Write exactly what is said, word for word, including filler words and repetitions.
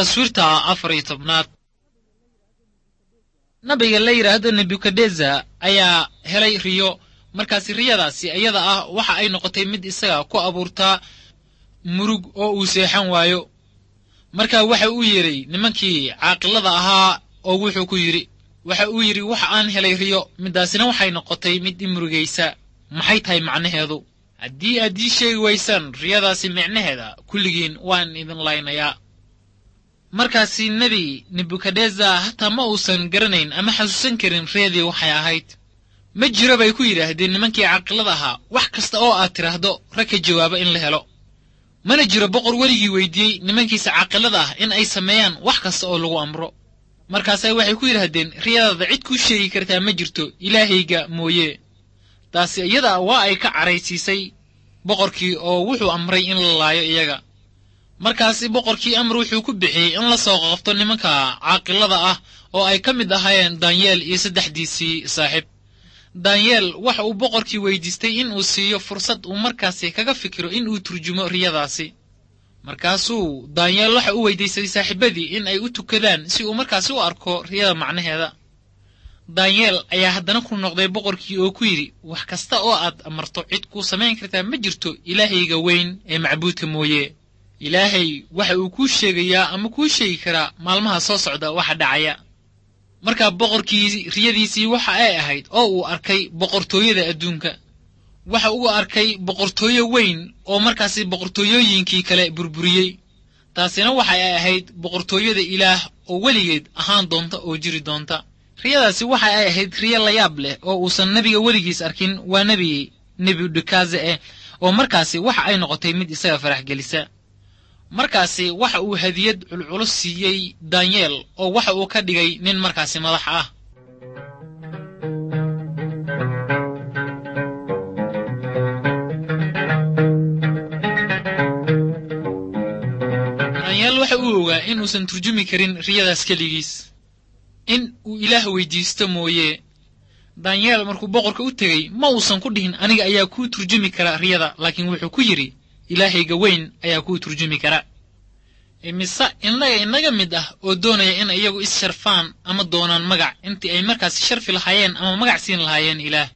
Taswiirta afar iyo tobnaad. Nabiga la yidhaahdo Nebukadnezar ayaa helay riyo. Markaasi riyadaasi iyada ah waxa ay noqotay mid isaga ku abuurtaa murug oo uu seexan waayo. Marka waxa uu yeedhay nimankii caaqilada ahaa oo wuxuu ku yidhi, waxa uu yidhi waxa aan helay riyo, midaasina waxay noqotay mid i murugaysa. Maxay tahay macnaheedu? Haddii aad ii sheegi waysaan riyadaasi micnaheeda, kulligiin waan idin laynayaa. Markaasi nebi Nebukadnezar hataa ma uusan garanayn ama xasuusan karin riyadii waxay ahayd. Ma jiro bay ku yidhaahdeen nimankii caaqilada ahaa, wax kasta oo aad tidhaahdo rag ka jawaaba in la helo. Mana jiro boqor weligii weydiiyey nimankiisa caaqilada ah in ay sameeyaan wax kasta oo lagu amro. Markaasay waxay ku yidhaahdeen, riyadaada cid kuu sheegi kartaa ma jirto ilaahayga mooye. Taasi iyada waa ay ka caraysiisay boqorkii oo wuxuu amray in la laayo iyaga. Markaasi boqorkii amar wuxuu ku bixiyey in la soo qabto nimanka caaqilada ah oo ay ka mid ahaayeen Danyeel iyo saddexdiisii saaxiib. Danyeel waxa uu boqorkii weydiistay in uu siiyo fursad uu markaasi kaga fikiro in uu turjumo riyadaasi. Markaasuu Danyeel waxa uu weydiistay saaxiibadii in ay u tukadaan si uu markaasi u arko riyada macnaheeda. Danyeel ayaa haddana ku noqday boqorkii oo ku yidhi, wax kasta oo aad amarto cid kuu samayn kartaa ma jirto ilaahayga weyn ee macbuudka mooye. Ilaahay waxa uu kuu sheegayaa ama kuu sheegi karaa maalmaha soo socda waxa dhacaya. Markaa boqorkii riyadiisii waxa ay ahayd oo uu arkay boqortooyada adduunka. Waxa uu arkay boqortooyo weyn oo markaasi boqortooyooyinkii kale burburiyey. Taasina waxa ay ahayd boqortooyada Ilaah oo weligeed ahaan doonta oo jiri doonta. Riyadaasi waxa ay ahayd riyo la yaab leh oo uusan nebiga weligiis arkin, waa nebi Nebukadnezar eh, oo markaasi waxa ay noqotay mid isaga farax gelisa. Markaasi waxa uu hadiyad culculus siiyey Danyeel oo waxa uu ka dhigay nin markaasi madax ah. Danyeel waxa uu ogaa inuusan turjumi karin riyadaas keligiis, in uu Ilaah weydiisto mooye. Danyeel markuu boqorka u tegey ma uusan ku dhihin aniga ayaa kuu turjumi kara riyada, laakiin wuxuu ku yidhi ilaahayga weyn ayaa kuu turjumi kara. Imise innaga inaga mid ah oo doonaya in iyagu is sharfaan ama doonaan magac intii ay markaasi sharfi lahaayeen ama magac siin lahaayeen Ilaah.